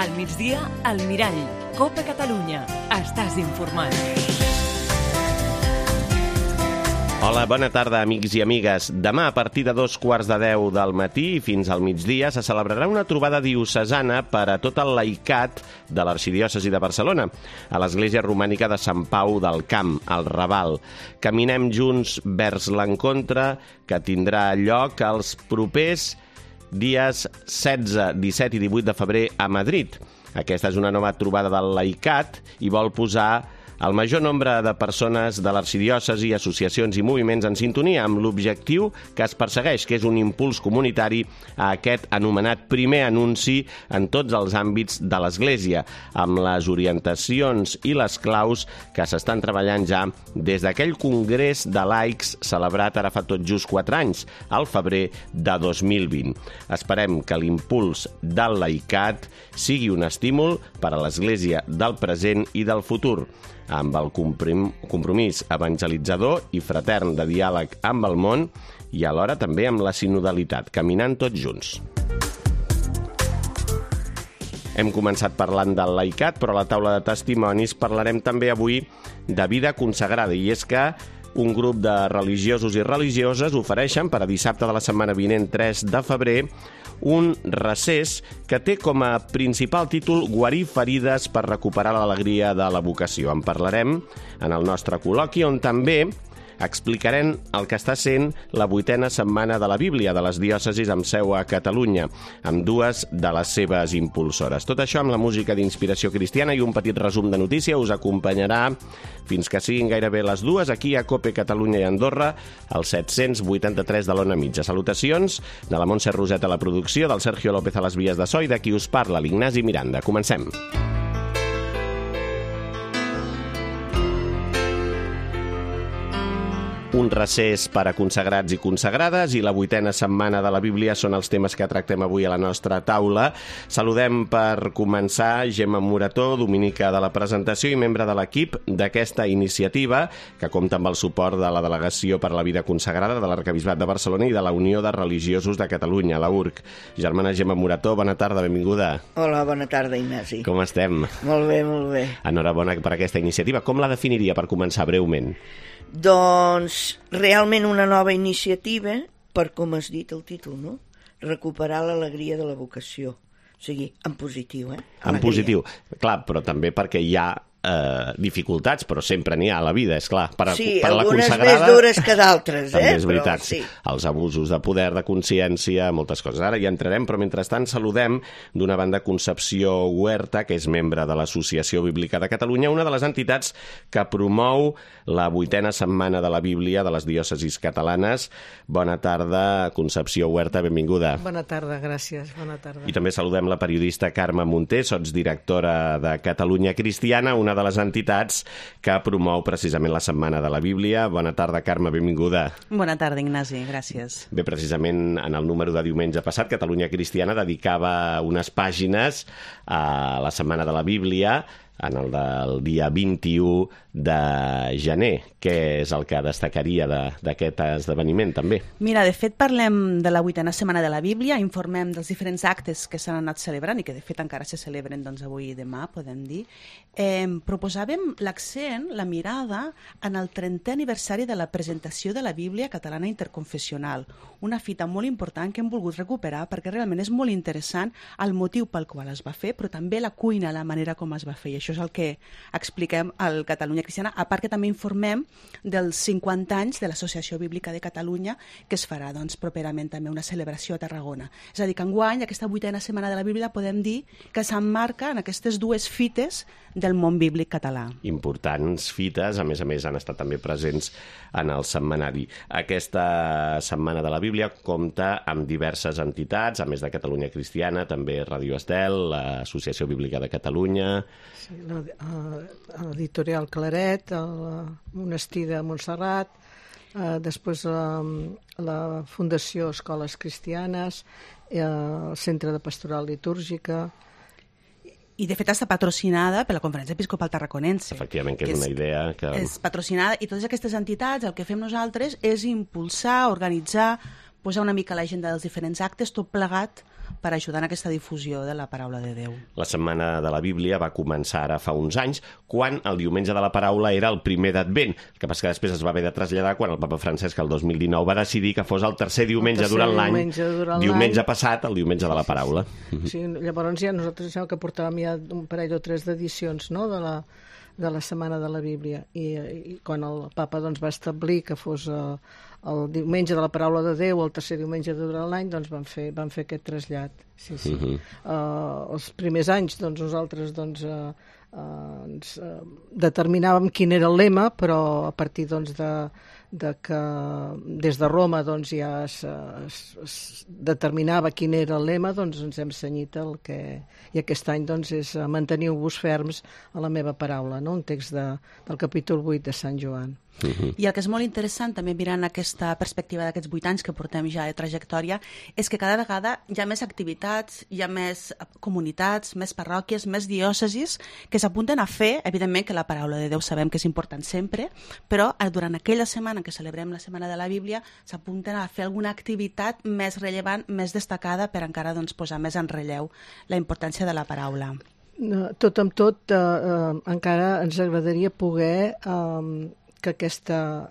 Al migdia, al Mirall. Copa Catalunya. Estàs informat. Hola, bona tarda, amics i amigues. Demà, a partir de 2:15 del matí i fins al migdia, se celebrarà una trobada diocesana per a tot el laicat de l'Arxidiòcesi de Barcelona, a l'Església Romànica de Sant Pau del Camp, al Raval. Caminem junts vers l'encontre que tindrà lloc els propers dies 16, 17 i 18 de febrer a Madrid. Aquesta és una nova trobada del laicat i vol posar el major nombre de persones de l'arxidiòcesi, associacions i moviments en sintonia amb l'objectiu que es persegueix, que és un impuls comunitari a aquest anomenat primer anunci en tots els àmbits de l'Església, amb les orientacions i les claus que s'estan treballant ja des d'aquell congrés de laics celebrat ara fa tot just 4 anys, al febrer de 2020. Esperem que l'impuls del laicat sigui un estímul per a l'Església del present i del futur, amb el compromís evangelitzador i fratern de diàleg amb el món i alhora també amb la sinodalitat, caminant tots junts. Hem començat parlant del laicat, però a la taula de testimonis parlarem també avui de vida consagrada, i és que un grup de religiosos i religioses ofereixen per a dissabte de la setmana vinent, 3 de febrer, un recés que té com a principal títol Guarir ferides per recuperar l'alegria de la vocació. En parlarem en el nostre col·loqui, on també explicarem el que està sent la 8a setmana de la Bíblia de les diòcesis amb seu a Catalunya, amb dues de les seves impulsores. Tot això amb la música d'inspiració cristiana i un petit resum de notícia us acompanyarà fins que siguin gairebé les 2 aquí a Cope Catalunya i Andorra, al 783 de l'Ona Mitja. Salutacions de la Montse Roset a la producció, del Sergio López a les vies de so i de qui us parla, l'Ignasi Miranda. Comencem. Un recés per a consagrats i consagrades i la 8a setmana de la Bíblia són els temes que tractem avui a la nostra taula. Saludem per començar Gemma Morató, dominica de la presentació i membre de l'equip d'aquesta iniciativa, que compta amb el suport de la Delegació per a la Vida Consagrada de l'Arquebisbat de Barcelona i de la Unió de Religiosos de Catalunya, la URC. Germana Gemma Morató, bona tarda, benvinguda. Hola, bona tarda, Ignasi. Com estem? Molt bé, molt bé. Enhorabona per aquesta iniciativa. Com la definiria per començar breument? Doncs realment una nova iniciativa per, com has dit el títol, no? Recuperar l'alegria de la vocació. O sigui, en positiu, Alegria. En positiu, clar, però també perquè hi ha dificultats, però sempre n'hi ha a la vida, és clar. Sí, per algunes la consagrada, més dures que d'altres, també és veritat. Però, sí. Els abusos de poder, de consciència, moltes coses. Ara hi entrarem, però mentrestant saludem d'una banda Concepció Huerta, que és membre de l'Associació Bíblica de Catalunya, una de les entitats que promou la 8a setmana de la Bíblia de les diòcesis catalanes. Bona tarda, Concepció Huerta, benvinguda. Bona tarda, gràcies, bona tarda. I també saludem la periodista Carme Munté, sotsdirectora de Catalunya Cristiana, una de les entitats que promou precisament la Setmana de la Bíblia. Bona tarda, Carme, benvinguda. Bona tarda, Ignasi, gràcies. Bé, precisament en el número de diumenge passat, Catalunya Cristiana dedicava unes pàgines a la Setmana de la Bíblia, en el del dia 21 de gener. Què és el que destacaria d'aquest esdeveniment, també? Mira, de fet, parlem de la 8a setmana de la Bíblia, informem dels diferents actes que s'han anat celebrant i que, de fet, encara se celebren avui i demà, podem dir. Proposàvem l'accent, la mirada, en el 30è aniversari de la presentació de la Bíblia catalana interconfessional, una fita molt important que hem volgut recuperar perquè realment és molt interessant el motiu pel qual es va fer, però també la cuina, la manera com es va fer, i això és el que expliquem al Catalunya Cristiana, a part que també informem dels 50 anys de l'Associació Bíblica de Catalunya, que es farà properament també una celebració a Tarragona. És a dir, que enguany, aquesta 8a setmana de la Bíblia, podem dir que s'emmarca en aquestes dues fites del món bíblic català. Importants fites, a més han estat també presents en el setmanari. Aquesta Setmana de la Bíblia compta amb diverses entitats, a més de Catalunya Cristiana, també Radio Estel, l'Associació Bíblica de Catalunya... Sí, l'editorial Claret, el Monestir de Montserrat, després la Fundació Escoles Cristianes, el Centre de Pastoral Litúrgica... I, de fet, està patrocinada per la Conferència Episcopal Tarraconense. Efectivament, que és una idea que... És patrocinada, i totes aquestes entitats, el que fem nosaltres és impulsar, organitzar posar una mica a l'agenda dels diferents actes, tot plegat per ajudar en aquesta difusió de la paraula de Déu. La Setmana de la Bíblia va començar ara fa uns anys, quan el Diumenge de la Paraula era el primer d'Advent. El que passa que després es va haver de traslladar quan el papa Francesc el 2019 va decidir que fos el tercer diumenge durant l'any, diumenge passat, el Diumenge de la Paraula. Sí, llavors ja nosaltres ja que portàvem ja un parell o tres d'edicions, no?, de la Setmana de la Bíblia, i quan el papa doncs, va establir que fos el diumenge de la Paraula de Déu, el tercer diumenge durant l'any, doncs van fer aquest trasllat. Sí, sí. Els primers anys doncs, nosaltres ens determinàvem quin era el lema, però a partir doncs, de que des de Roma doncs, ja es determinava quin era el lema, doncs ens hem cenyit i aquest any doncs, és manteniu-vos ferms a la meva paraula, no? Un text del capítol 8 de Sant Joan. I el que és molt interessant, també mirant aquesta perspectiva d'aquests 8 anys que portem ja de trajectòria, és que cada vegada hi ha més activitats, hi ha més comunitats, més parròquies, més diòcesis que s'apunten a fer, evidentment que la paraula de Déu sabem que és important sempre, però durant aquella setmana que celebrem la Setmana de la Bíblia s'apunten a fer alguna activitat més rellevant, més destacada per encara doncs, posar més en relleu la importància de la paraula. Tot amb tot, encara ens agradaria poder que aquesta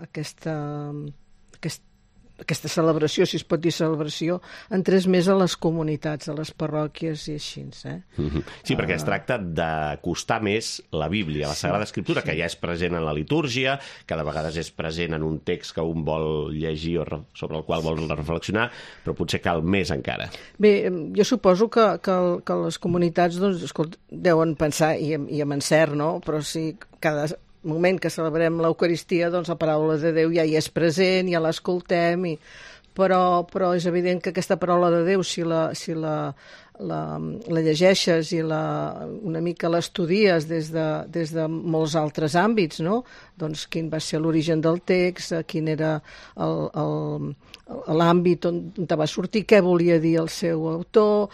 celebració, si es pot dir celebració, entrés més a les comunitats, a les parròquies i així. Sí, perquè es tracta d'acostar més la Bíblia, la Sagrada Escriptura, que ja és present en la litúrgia, que de vegades és present en un text que un vol llegir o sobre el qual vol reflexionar, però potser cal més encara. Bé, jo suposo que les comunitats doncs, escolta, deuen pensar, i amb encert, no? Però si cada moment que celebrem l'Eucaristia, doncs la paraula de Déu ja hi és present, ja l'escoltem, però és evident que aquesta paraula de Déu, si la llegeixes i una mica l'estudies des de molts altres àmbits, no? Doncs quin va ser l'origen del text, quin era l'àmbit on va sortir, què volia dir el seu autor,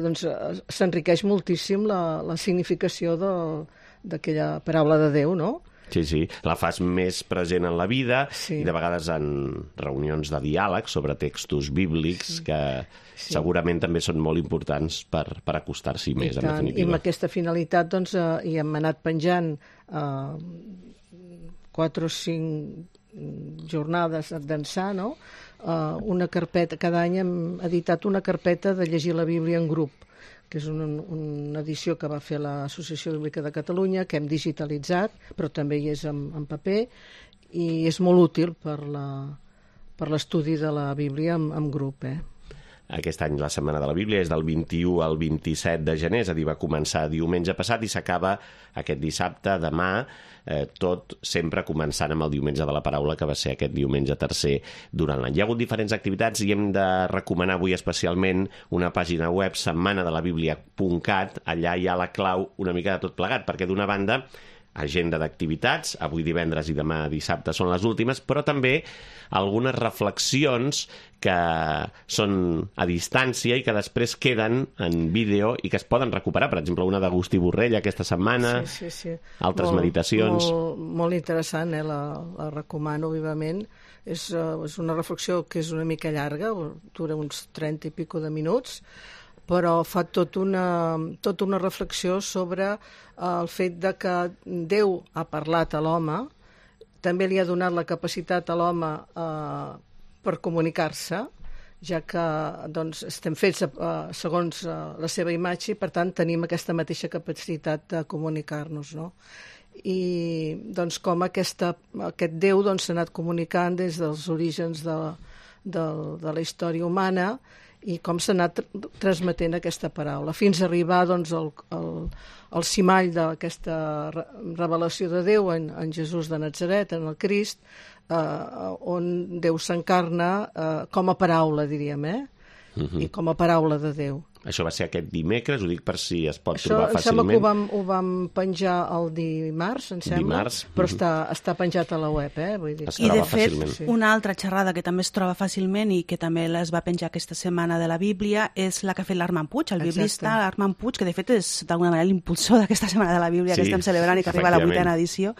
doncs s'enriqueix moltíssim la significació d'aquella paraula de Déu, no? Sí, sí, la fas més present en la vida i de vegades en reunions de diàleg sobre textos bíblics que segurament també són molt importants per acostar-s'hi més, en definitiva. I amb aquesta finalitat doncs, hi hem anat penjant 4 o 5 jornades d'ençà, no? Una carpeta, cada any hem editat una carpeta de llegir la Bíblia en grup, que és una edició que va fer l'Associació Bíblica de Catalunya, que hem digitalitzat, però també hi és en paper, i és molt útil per l'estudi de la Bíblia en grup. Aquest any la Setmana de la Bíblia és del 21 al 27 de gener, és a dir, va començar diumenge passat i s'acaba aquest dissabte, demà, tot sempre començant amb el Diumenge de la Paraula, que va ser aquest diumenge tercer durant l'any. Hi ha hagut diferents activitats i hem de recomanar avui especialment una pàgina web, setmanadelabiblia.cat. Allà hi ha la clau una mica de tot plegat, perquè d'una banda agenda d'activitats, avui divendres i demà dissabte són les últimes, però també algunes reflexions que són a distància i que després queden en vídeo i que es poden recuperar. Per exemple, una d'Agustí Borrell aquesta setmana, altres meditacions. Molt interessant, la recomano vivament. És una reflexió que és una mica llarga, dura uns 30 i pico de minuts, però fa tota una reflexió sobre el fet de que Déu ha parlat a l'home, també li ha donat la capacitat a l'home per comunicar-se, ja que doncs, estem fets segons la seva imatge i, per tant, tenim aquesta mateixa capacitat de comunicar-nos, no? I doncs, com aquest Déu doncs, s'ha anat comunicant des dels orígens de la història humana i com s'ha anat transmetent aquesta paraula, fins a arribar doncs, al cimall d'aquesta revelació de Déu en Jesús de Natzaret, en el Crist, on Déu s'encarna com a paraula, diríem, i com a paraula de Déu. Això va ser aquest dimecres, ho dic per si es pot Això, trobar em sembla fàcilment. que ho vam penjar el dimarts, em sembla, Dimarts, però està penjat a la web, Vull dir. Es I de troba fet, fàcilment. una altra xerrada que també es troba fàcilment i que també es va penjar aquesta setmana de la Bíblia és la que ha fet l'Armand Puig, el biblista Armand Puig, que de fet és d'alguna manera l'impulsor d'aquesta setmana de la Bíblia que estem celebrant i que arriba a la 8ª edició,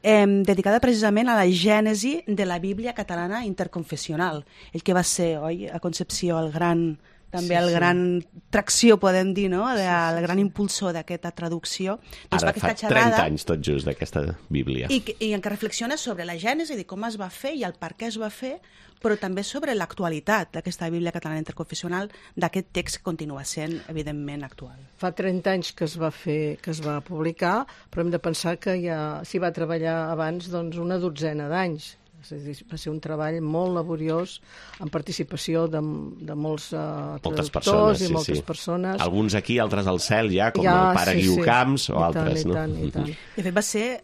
dedicada precisament a la gènesi de la Bíblia catalana interconfessional. El que va ser, oi, a Concepció, el gran gran tracció, podem dir, no? El gran impulsor d'aquesta traducció. Ara fa 30 anys tot just d'aquesta Bíblia. I en què reflexiona sobre la gènesi, de com es va fer i el per què es va fer, però també sobre l'actualitat d'aquesta Bíblia catalana interconfessional, d'aquest text que continua sent, evidentment, actual. Fa 30 anys que es va publicar, però hem de pensar que ja s'hi va treballar abans una dotzena d'anys. Va ser un treball molt laboriós amb participació de molts traductors i moltes persones. Alguns aquí, altres al cel ja, com el pare Guiu Camps o altres. I tant. De fet, va ser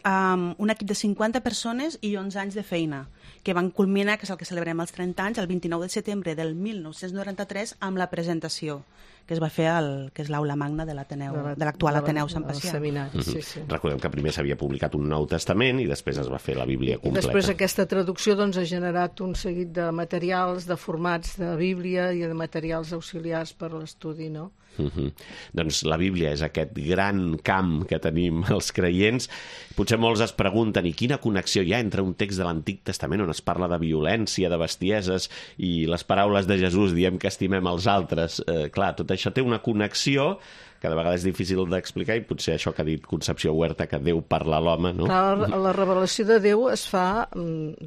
un equip de 50 persones i 11 anys de feina, que van culminar, que és el que celebrem els 30 anys, el 29 de setembre del 1993, amb la presentació que es va fer que és l'aula magna de l'actual Ateneu Sant Pacià. Recordem que primer s'havia publicat un Nou Testament i després es va fer la Bíblia completa. I després aquesta traducció ha generat un seguit de materials, de formats de Bíblia i de materials auxiliars per a l'estudi, no? Doncs la Bíblia és aquest gran camp que tenim els creients. Potser molts es pregunten i quina connexió hi ha entre un text de l'Antic Testament on es parla de violència, de bestieses i les paraules de Jesús, diem que estimem els altres. Clar, tot això té una connexió que de vegades és difícil d'explicar i potser això que ha dit Concepció Huerta, que Déu parla a l'home, no? La revelació de Déu es fa en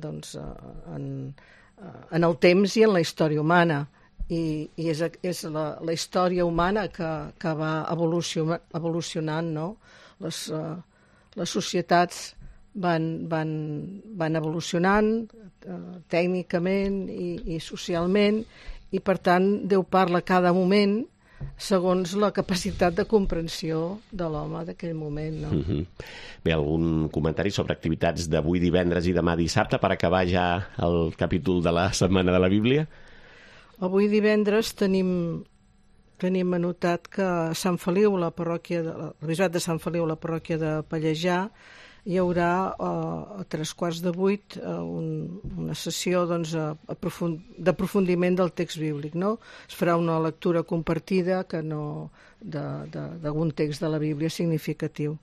el temps i en la història humana. I és la història humana que va evolucionant, no? Les societats van evolucionant tècnicament i socialment, i per tant Déu parla a cada moment segons la capacitat de comprensió de l'home d'aquell moment, no? Bé, algun comentari sobre activitats d'avui divendres i demà dissabte per acabar ja el capítol de la Setmana de la Bíblia? Avui divendres tenim anotat que a Sant Feliu, el bisbat de Sant Feliu, la parròquia de Pallejà, hi haurà a 7:45 una sessió d'aprofundiment del text bíblic, no? Es farà una lectura compartida d'algun text de la Bíblia significatiu.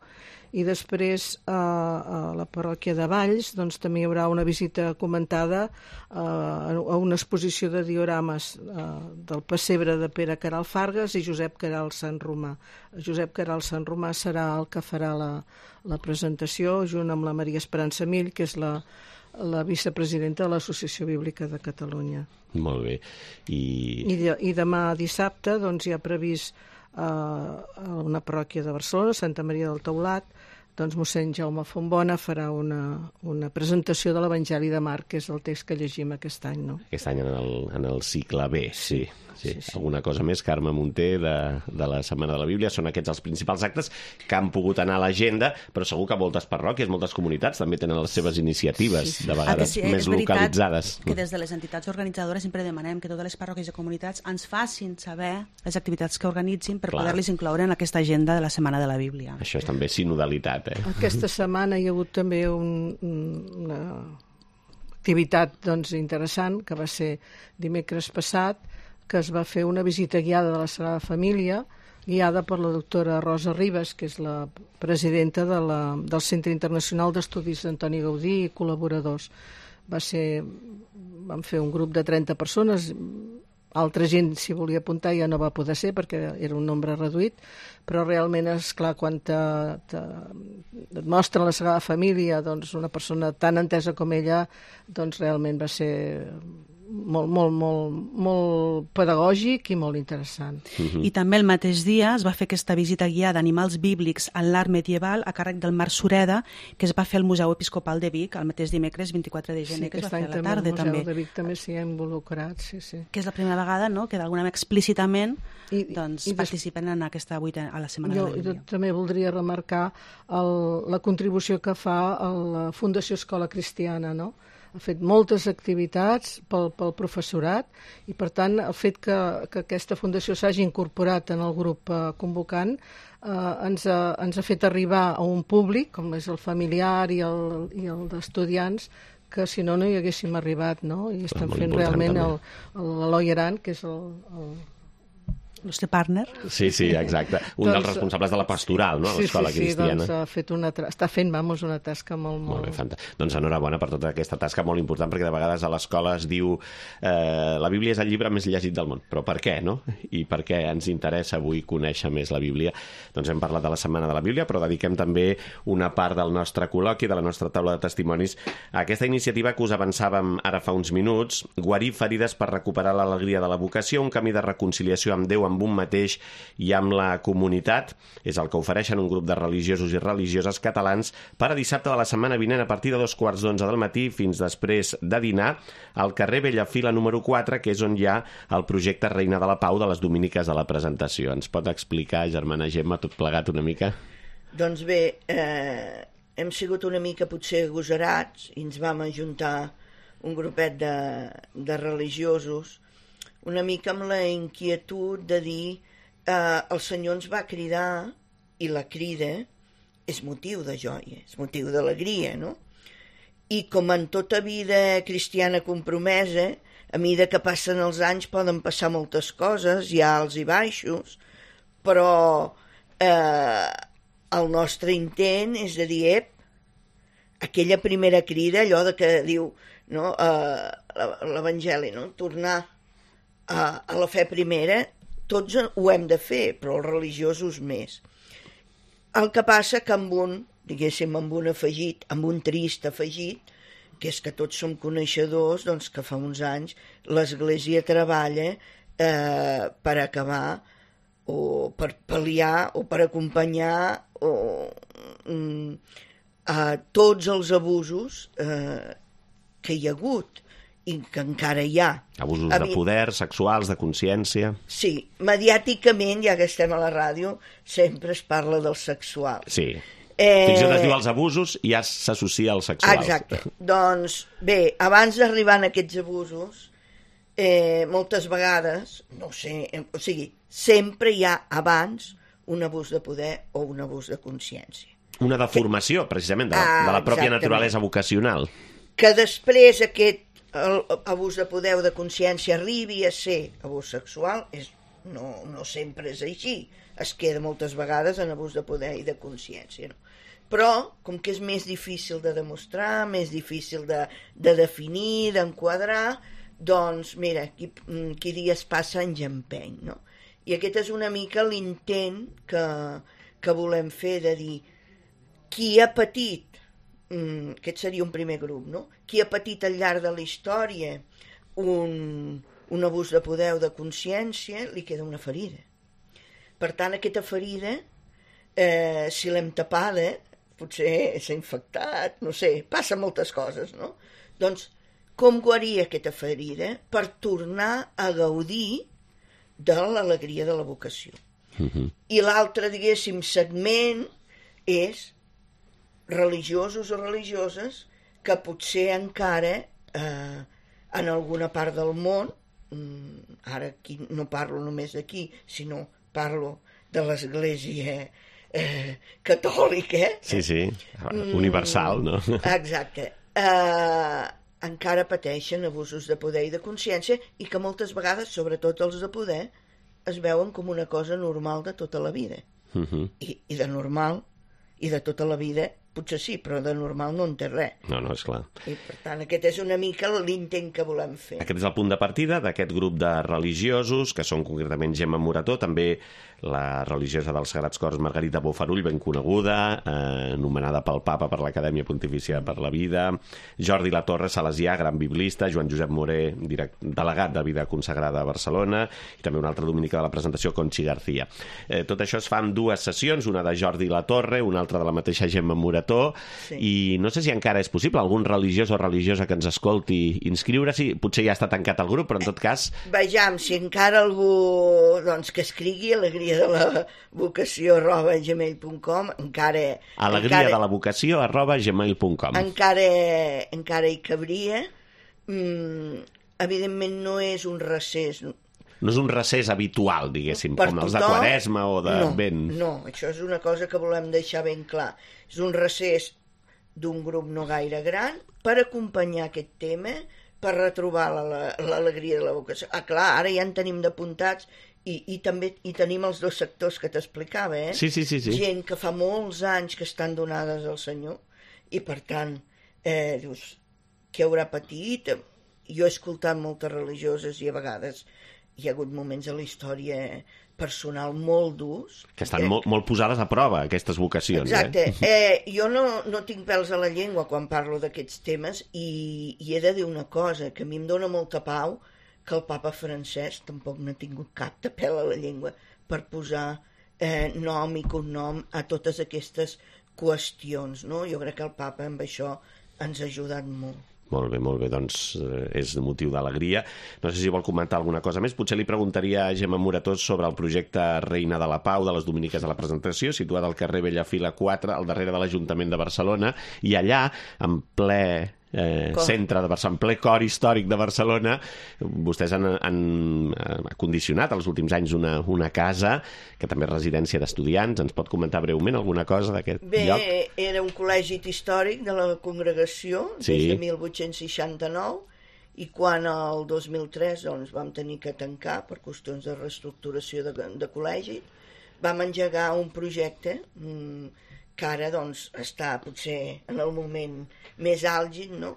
I després a la parròquia de Valls també hi haurà una visita comentada a una exposició de diorames del pessebre de Pere Queralt Fargas i Josep Queralt Sant Romà. Josep Queralt Sant Romà serà el que farà la presentació junt amb la Maria Esperança Mill, que és la vicepresidenta de l'Associació Bíblica de Catalunya. Molt bé. I demà dissabte hi ha previst a una parròquia de Barcelona, Santa Maria del Taulat, mossèn Jaume Fontbona farà una presentació de l'Evangeli de Marc, que és el text que llegim aquest any, no? Aquest any en el cicle B, sí. Alguna cosa més, Carme Munté, de la Setmana de la Bíblia? Són aquests els principals actes que han pogut anar a l'agenda, però segur que moltes parròquies, moltes comunitats també tenen les seves iniciatives, de vegades més localitzades. Que des de les entitats organitzadores sempre demanem que totes les parròquies i comunitats ens facin saber les activitats que organitzin per poder-les incloure en aquesta agenda de la Setmana de la Bíblia. Això és també sinodalitat, Aquesta setmana hi ha hagut també una activitat interessant, que va ser dimecres passat, que es va fer una visita guiada de la Sagrada Família, guiada per la doctora Rosa Ribas, que és la presidenta del Centre Internacional d'Estudis d'Antoni Gaudí i col·laboradors. Vam fer un grup de 30 persones, altra gent s'hi volia apuntar ja no va poder ser perquè era un nombre reduït, però realment és clar, quan et mostren la Sagrada Família, una persona tan entesa com ella, realment va ser molt pedagògic i molt interessant. I també el mateix dia es va fer aquesta visita guiada d'animals bíblics en l'art medieval a càrrec del Marc Sureda, que es va fer al Museu Episcopal de Vic el mateix dimecres 24 de gener, que es va fer a la tarda. El Museu de Vic també s'hi ha involucrat, sí. Que és la primera vegada, no?, que d'alguna manera explícitament participen en aquesta a la Setmana de la Bíblia. Jo també voldria remarcar la contribució que fa la Fundació Escola Cristiana, no?, ha fet moltes activitats pel professorat i, per tant, el fet que aquesta fundació s'hagi incorporat en el grup convocant ens ha fet arribar a un públic, com és el familiar i el d'estudiants, que si no hi haguéssim arribat, no? I estem fent realment l'Eloi Aran, que és el nostre partner. Sí, exacte. Un dels responsables de la pastoral, no?, a l'Escola Cristiana. Sí, doncs està fent, una tasca molt... Molt bé, fantàstic. Doncs enhorabona per tota aquesta tasca molt important, perquè de vegades a l'escola es diu la Bíblia és el llibre més llegit del món. Però per què, no? I per què ens interessa avui conèixer més la Bíblia? Doncs hem parlat de la Setmana de la Bíblia, però dediquem també una part del nostre col·loqui, de la nostra taula de testimonis, a aquesta iniciativa que us avançàvem ara fa uns minuts, guarir ferides per recuperar l'alegria de la vocació, un camí de reconciliació amb Déu, amb un mateix i amb la comunitat. És el que ofereixen un grup de religiosos i religioses catalans per a dissabte de la setmana vinent a partir de 11:15 del matí fins després de dinar al carrer Bellafila número 4, que és on hi ha el projecte Reina de la Pau de les Dominiques de la Presentació. Ens pot explicar, germana Gemma, tot plegat una mica? Doncs bé, hem sigut una mica potser agosarats i ens vam ajuntar un grupet de religiosos una mica amb la inquietud de dir el Senyor ens va cridar i la crida és motiu de joia, és motiu d'alegria, no? I com en tota vida cristiana compromesa, a mesura que passen els anys poden passar moltes coses, hi ha alts i baixos, però el nostre intent és de dir, aquella primera crida, allò de que diu no, l'Evangeli, no? Tornar a la fe primera, tots ho hem de fer, però els religiosos més. El que passa que amb un afegit, amb un trist afegit, que és que tots som coneixedors, doncs que fa uns anys l'Església treballa per acabar o per pal·liar o per acompanyar tots els abusos que hi ha hagut i que encara hi ha. Abusos de poder, sexuals, de consciència... Sí, mediàticament, ja que estem a la ràdio, sempre es parla del sexual. Sí. Fins i tot es diu els abusos i ja s'associa als sexuals. Exacte. Doncs, bé, abans d'arribar a aquests abusos, moltes vegades, no sé, o sigui, sempre hi ha abans un abús de poder o un abús de consciència. Una deformació, precisament, de la pròpia naturalesa vocacional. Que després aquest abús de poder o de consciència arribi a ser abús sexual, no sempre és així. Es queda moltes vegades en abús de poder i de consciència. No? Però, com que és més difícil de demostrar, més difícil de definir, d'enquadrar, doncs, mira, qui dies passa anys empeny, no? I aquest és una mica l'intent que volem fer de dir qui ha patit, aquest seria un primer grup, no? Qui ha patit al llarg de la història un abús de poder o de consciència, li queda una ferida. Per tant, aquesta ferida, si l'hem tapada, potser s'ha infectat, no sé, passa moltes coses, no? Doncs, com guarir aquesta ferida per tornar a gaudir de l'alegria de la vocació? I l'altre, diguéssim, segment és religiosos o religioses que potser encara en alguna part del món, ara aquí no parlo només d'aquí, sinó parlo de l'Església catòlica. Sí, universal, no? Exacte. Encara pateixen abusos de poder i de consciència i que moltes vegades, sobretot els de poder, es veuen com una cosa normal de tota la vida. I de normal i de tota la vida potser sí, però de normal no en té res. No, és clar. I per tant, aquest és una mica l'intent que volem fer. Aquest és el punt de partida d'aquest grup de religiosos, que són concretament Gemma Morató, també la religiosa dels Sagrats Cors Margarita Bofarull, ben coneguda, nomenada pel Papa per l'Acadèmia Pontifícia per la Vida, Jordi Latorre, salesià, gran biblista, Joan Josep Moré, delegat de Vida Consagrada a Barcelona, i també una altra dominica de la presentació, Conchi García. Tot això es fa en dues sessions, una de Jordi Latorre, una altra de la mateixa Gemma Morató, Morató, i no sé si encara és possible algun religiós o religiosa que ens escolti inscriure-s'hi. Potser ja està tancat el grup, però en tot cas... Vejam, si encara algú que escrigui alegria de la vocació @gmail.com, alegria de la vocació @gmail.com. Encara hi cabria. Evidentment no és un recés... No és un recés habitual, diguéssim, com els de Quaresma o de Vent. No, això és una cosa que volem deixar ben clar. És un recés d'un grup no gaire gran per acompanyar aquest tema, per retrobar l'alegria de la vocació. Clar, ara ja en tenim d'apuntats i també hi tenim els dos sectors que t'explicava, Sí. Gent que fa molts anys que estan donades al Senyor i, per tant, dius, què haurà patit? Jo he escoltat moltes religioses i a vegades hi ha hagut moments a la història personal molt durs. Que estan molt posades a prova, aquestes vocacions. Exacte. Jo no tinc pèls a la llengua quan parlo d'aquests temes i he de dir una cosa, que a mi em dóna molta pau que el papa Francesc tampoc no ha tingut cap de pèl a la llengua per posar nom i cognom a totes aquestes qüestions, no? Jo crec que el papa amb això ens ha ajudat molt. Molt bé, doncs és motiu d'alegria. No sé si vol comentar alguna cosa més. Potser li preguntaria a Gemma Morató sobre el projecte Reina de la Pau de les Dominiques de la Presentació, situat al carrer Bellafila 4, al darrere de l'Ajuntament de Barcelona, i allà, en ple centre de Barcelona, en ple cor històric de Barcelona, vostès han acondicionat els últims anys una casa que també és residència d'estudiants. Ens pot comentar breument alguna cosa d'aquest lloc? Bé, era un col·legi històric de la congregació des de 1869 i quan el 2003 vam tenir que tancar per qüestions de reestructuració de col·legi, vam engegar un projecte que ara està potser en el moment més àlgid, no?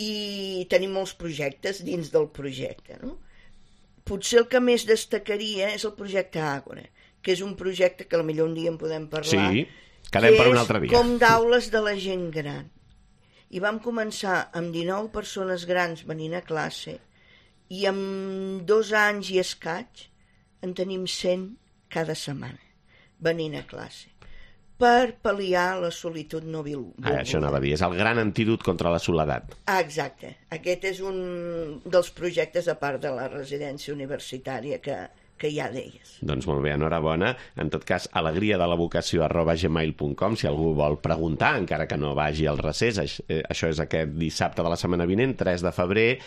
I tenim molts projectes dins del projecte, no? Potser el que més destacaria és el projecte Àgora, que és un projecte que potser un dia en podem parlar. Sí, quedem per un altre dia. Que és com d'aules de la gent gran. I vam començar amb 19 persones grans venint a classe i amb 2 anys i escaig en tenim 100 cada setmana venint a classe, per pal·liar la solitud no volguda. Això anava a dir, és el gran antídot contra la soledat. Exacte. Aquest és un dels projectes, a part de la residència universitària que ja deies. Doncs molt bé, enhorabona. En tot cas, alegria de la vocació @gmail.com, si algú vol preguntar, encara que no vagi al recés. Això és aquest dissabte de la setmana vinent, 3 de febrer.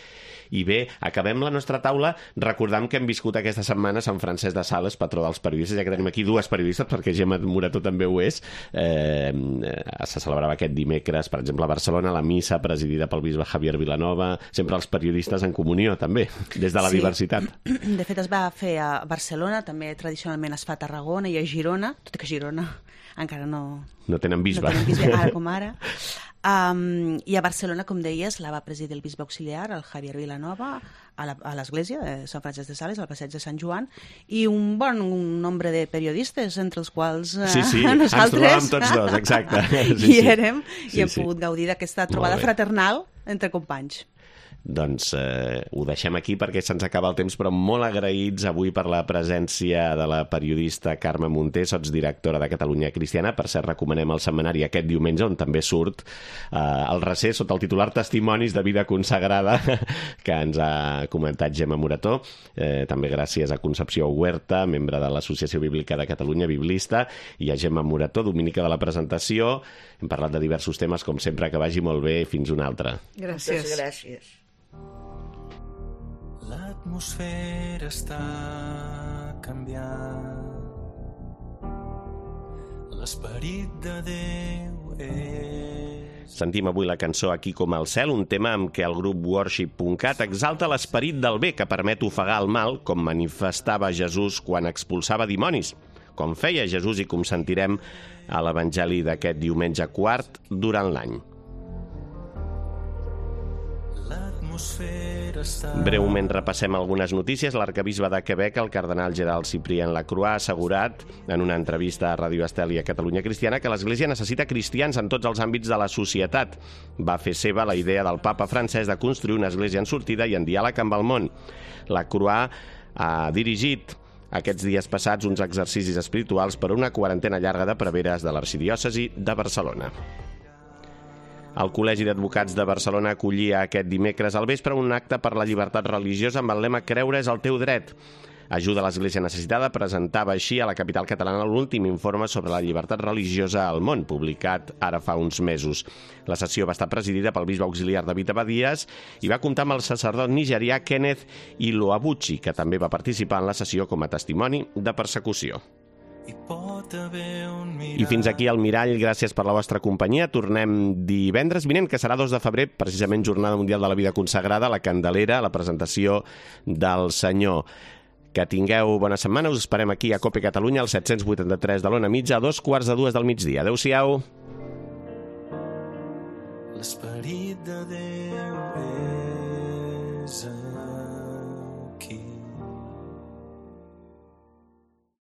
I bé, acabem la nostra taula recordant que hem viscut aquesta setmana Sant Francesc de Sales, patró dels periodistes, ja que tenim aquí 2 periodistes, perquè Gemma Morató també ho és. Se celebrava aquest dimecres, per exemple, a Barcelona, la missa presidida pel bisbe Javier Vilanova, sempre els periodistes en comunió, també, des de la diversitat. De fet, es va fer a Barcelona, també tradicionalment es fa a Tarragona i a Girona, tot i que Girona encara no tenen bisbe. No tenen bisbe, ara com ara. I a Barcelona, com deies, la va presidir el bisbe auxiliar, el Javier Vilanova, a l'església de Sant Francesc de Sales, al passeig de Sant Joan, i un bon nombre de periodistes, entre els quals Sí, nosaltres... ens trobàvem tots dos, exacte. Hi érem, i hem pogut gaudir d'aquesta trobada fraternal entre companys. Doncs ho deixem aquí perquè se'ns acaba el temps, però molt agraïts avui per la presència de la periodista Carme Munté, sotsdirectora de Catalunya Cristiana. Per cert, recomanem el setmanari aquest diumenge, on també surt el recés sota el titular Testimonis de vida consagrada, que ens ha comentat Gemma Morató. També gràcies a Concepció Huerta, membre de l'Associació Bíblica de Catalunya, biblista, i a Gemma Morató, domínica de la presentació. Hem parlat de diversos temes, com sempre, que vagi molt bé. Fins una altra. Gràcies. Moltes gràcies. L'atmosfera està canviant, l'esperit de Déu és... Sentim avui la cançó Aquí com al cel, un tema amb què el grup Worship.cat exalta l'esperit del bé que permet ofegar el mal, com manifestava Jesús quan expulsava dimonis, com feia Jesús i com sentirem a l'Evangeli d'aquest diumenge quart durant l'any. Breument repassem algunes notícies. L'arquebisbe de Quebec, el cardenal Gerald Cyprien Lacroix, ha assegurat en una entrevista a Radio Estel i a Catalunya Cristiana que l'Església necessita cristians en tots els àmbits de la societat. Va fer seva la idea del papa Francesc de construir una església en sortida i en diàleg amb el món. Lacroix ha dirigit aquests dies passats uns exercicis espirituals per una quarantena llarga de preveres de l'arxidiòcesi de Barcelona. El Col·legi d'Advocats de Barcelona acollia aquest dimecres al vespre un acte per la llibertat religiosa amb el lema «Creure és el teu dret». Ajuda a l'Església Necessitada presentava així a la capital catalana l'últim informe sobre la llibertat religiosa al món, publicat ara fa uns mesos. La sessió va estar presidida pel bisbe auxiliar David Abadies i va comptar amb el sacerdot nigerià Kenneth Iloabuchi, que també va participar en la sessió com a testimoni de persecució. I fins aquí el Mirall, gràcies per la vostra companyia. Tornem divendres vinent, que serà 2 de febrer, precisament Jornada Mundial de la Vida Consagrada, la Candelera, la presentació del Senyor. Que tingueu bona setmana, us esperem aquí a Cope Catalunya, al 783 de l'Ona Mitja, a 2:45 del migdia. Adéu-siau. L'esperit de Déu és